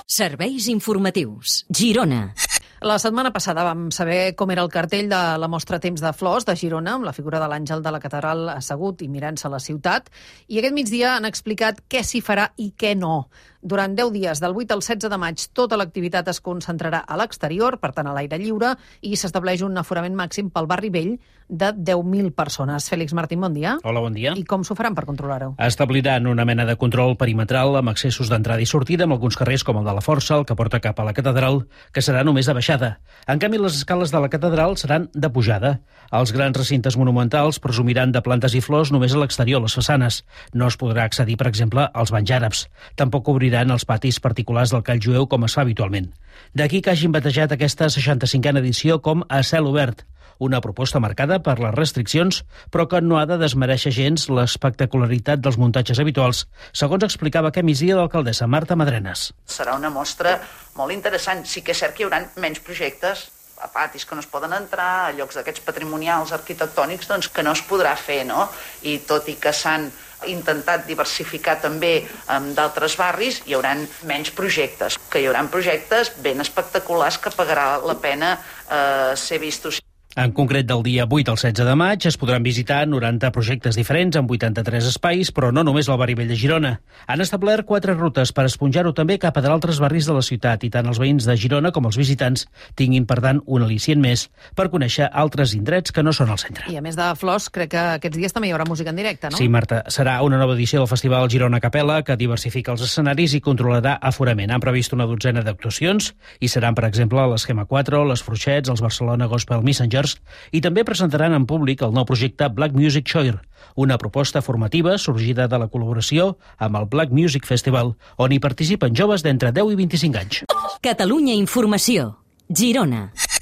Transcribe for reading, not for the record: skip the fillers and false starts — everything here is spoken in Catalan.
Serveis informatius. Girona. La setmana passada vam saber com era el cartell de la mostra Temps de Flors de Girona, amb la figura de l'àngel de la catedral assegut i mirant-se la ciutat, i aquest migdia han explicat què s'hi farà i què no. Durant 10 dies, del 8 al 16 de maig, tota l'activitat es concentrarà a l'exterior, per tant a l'aire lliure, i s'estableix un aforament màxim pel barri vell de 10.000 persones. Fèlix Martín, bon dia. Hola, bon dia. I com s'ho faran per controlar-ho? Establiran una mena de control perimetral amb accessos d'entrada i sortida amb alguns carrers com el de la Força, el que porta cap a la catedral, que serà només de baixada. En canvi, les escales de la catedral seran de pujada. Els grans recintes monumentals presumiran de plantes i flors només a l'exterior, les façanes. No es podrà accedir, per exemple, als banys àrabs. Tampoc obriran els patis particulars del call jueu com es fa habitualment. D'aquí que hagin batejat aquesta 65a edició com a cel obert, una proposta marcada per les restriccions, però que no ha de desmereixer gens l'espectacularitat dels muntatges habituals, segons explicava aquest migdia l'alcaldessa Marta Madrenas. Serà una mostra molt interessant. Sí que és cert que hi haurà menys projectes a patis que no es poden entrar, a llocs d'aquests patrimonials arquitectònics doncs, que no es podrà fer, no? I tot i que s'han intentat diversificar també d'altres barris, hi haurà menys projectes, que hi haurà projectes ben espectaculars que pagarà la pena ser vistos. En concret, del dia 8 al 16 de maig es podran visitar 90 projectes diferents en 83 espais, però no només al barri vell de Girona. Han establert 4 rutes per esponjar-ho també cap a d'altres barris de la ciutat i tant els veïns de Girona com els visitants tinguin, per tant, un al·licient més per conèixer altres indrets que no són al centre. I a més de flors, crec que aquests dies també hi haurà música en directe, no? Sí, Marta. Serà una nova edició del Festival Girona Capella que diversifica els escenaris i controlarà aforament. Han previst una dotzena d'actuacions i seran, per exemple, l'Esquema 4, les Fruixets, els Barcelona Gospel Messengers, i també presentaran en públic el nou projecte Black Music Choir, una proposta formativa sorgida de la col·laboració amb el Black Music Festival, on hi participen joves d'entre 10 i 25 anys. Catalunya Informació. Girona.